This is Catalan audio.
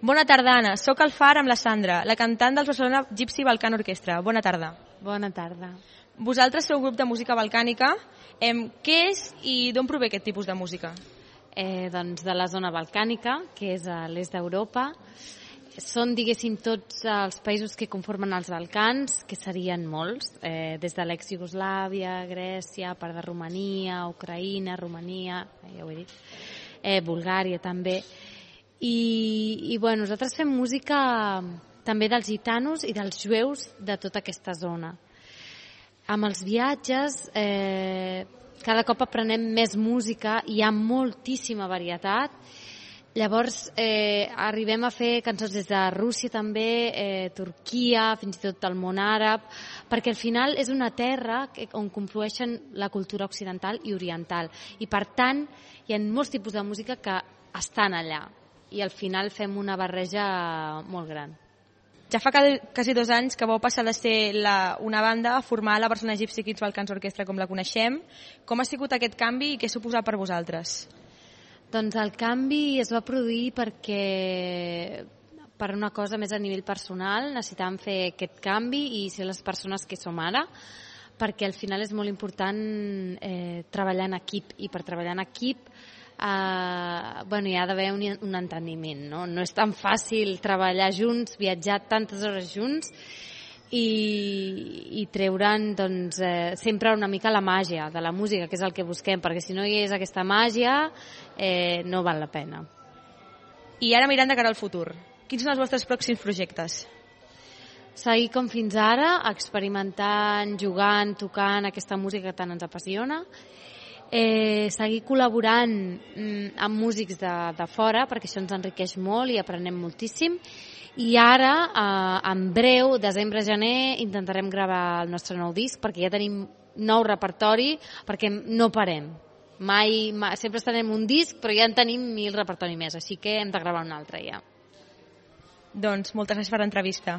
Bona tarda, Anna. Soc al Far amb la Sandra, la cantant del Barcelona Gypsy Balkan Orchestra. Bona tarda. Bona tarda. Vosaltres sou grup de música balcànica. Què és i d'on prové aquest tipus de música? Doncs de la zona balcànica, que és a l'est d'Europa. Són, diguéssim, tots els països que conformen els Balcans, que serien molts, des de l'ex-Iugoslàvia, Grècia, part de Romania, Ucraïna, Romania, ja ho he dit, Bulgària també. I bueno, nosaltres fem música també dels gitanos i dels jueus de tota aquesta zona. Amb els viatges cada cop aprenem més música, hi ha moltíssima varietat. Llavors arribem a fer cançons des de Rússia també, Turquia, fins i tot el món àrab, perquè al final és una terra on conflueixen la cultura occidental i oriental. I per tant hi ha molts tipus de música que estan allà i al final fem una barreja molt gran. Ja fa quasi 2 anys que vau passar de ser una banda a formar la Barcelona Gypsy Kids Balkans Orchestra com la coneixem. Com ha sigut aquest canvi i què ha suposat per vosaltres? Doncs el canvi es va produir perquè per una cosa més a nivell personal necessitàvem fer aquest canvi i ser les persones que som ara, perquè al final és molt important treballar en equip, i per treballar en equip hi ha d'haver un enteniment, no? No és tan fàcil treballar junts, viatjar tantes hores junts i treure'n sempre una mica la màgia de la música, que és el que busquem, perquè si no hi és aquesta màgia no val la pena. I ara mirant de cara al futur, quins són els vostres pròxims projectes? Seguir com fins ara, experimentant, jugant, tocant aquesta música que tant ens apassiona, seguir col·laborant amb músics de fora, perquè això ens enriqueix molt i aprenem moltíssim. I ara, en breu, desembre-gener, intentarem gravar el nostre nou disc, perquè ja tenim nou repertori, perquè no parem. Mai, sempre estarem un disc, però ja en tenim 1000 repertori més, així que hem de gravar un altre ja. Doncs moltes gràcies per l'entrevista.